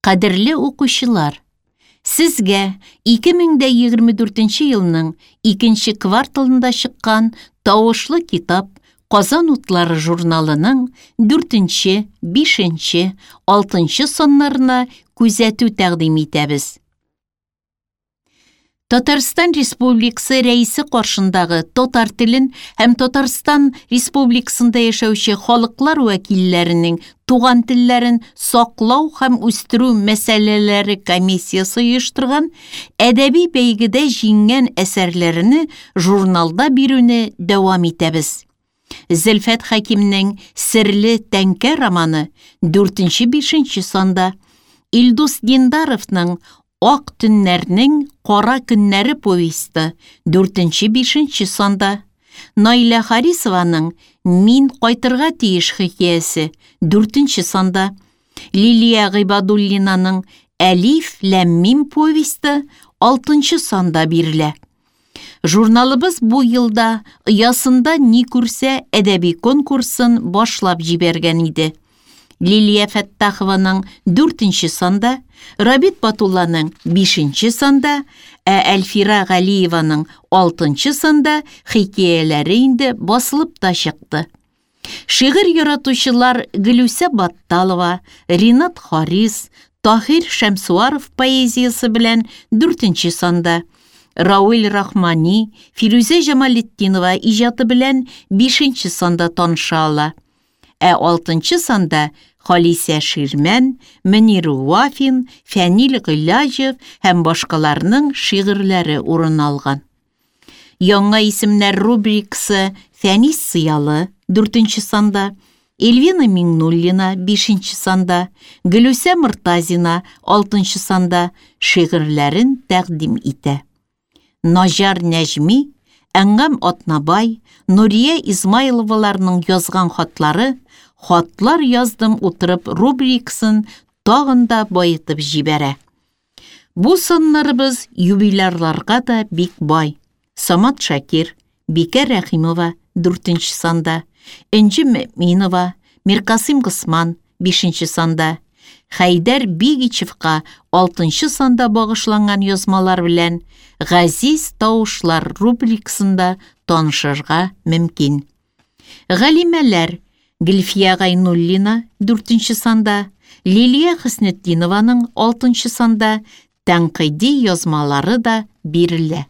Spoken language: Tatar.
Кадерле укучылар! Сезгә 2024 елның икенче кварталында чыккан Тавышлы китап Казан утлары журналының дүртенче, бишенче, алтынчы саннарына күзәтү тәкъдим итәбез. Татарстан Республикасы Рәисе каршындагы татар телен һәм Татарстан Республикасында яшәүче халыклар вәкилләренең туган телләрен саклау һәм үстерү мәсьәләләре комиссиясе оештырган әдәби бәйгедә җиңгән әсәрләрне журналда бирүне дәвам итәбез. Зөлфәт Хәкимнең Серле тәңкә романы дүртенче-бишенче санда, Илдус Диндаровның Ак төннәрнең кара көннәре повесте дүртенче-бишенче санда, Наилә Харисованың Мин кайтырга тиеш хикәясе дүртенче санда, Лилия Гыйбадуллинаның Әлиф ләм мим повесте алтынчы санда бирелә. Журналыбыз бу елда Оясында ни күрсә әдәби конкурсын башлап җибәргән иде. Лилия Фәттахованың дүртенче санда, Рабит Батулланың бишенче санда, ә Әлфира Галиеваның алтынчы санда хикәяләре инде басылып та чыкты. Шигырь яратучылар Гөлүсә Батталова, Ринат Харис, Таһир Шәмсуаров поэзиясе белән дүртенче санда, Рауил Рахмани, Фирүзә Җамалетдинова иҗаты белән бишенче санда таныша ала. Ә алтынчы санда Халисә Ширмән, Мөнир Вафин, Фәнил Гыйләҗев һәм башкаларның шигырьләре урын алган. Яңа исемнәр рубрикасы Фәнис Сыялы, дүртенче санда, Эльвина Миңнуллина, бишенче санда, Гөлүсә Мортазина, алтынчы санда шигырьләрен тәкъдим итә. Наҗар Нәҗми, Әнгам Атнабай, Нурия Измайловаларның язган хатлары Хатлар яздым утырып рубрикасын тагын да баетып җибәрә. Бу саннарыбыз юбилярларга да бик бай. Самат Шакир, Бикә Рәхимова, дүртенче санда, Энҗе Мөэминова, Миркасыйм Госман, бишенче санда, Хәйдәр Бигичевка алтынчы санда багышланган язмалар белән Газиз тавышлар рубрикасында танышырга мөмкин. Галимәләр Гөлфия Гайнуллина дүртенче санда, Лилия Хөснетдинованың алтынчы санда тәнкыйди язмалары да бирелә.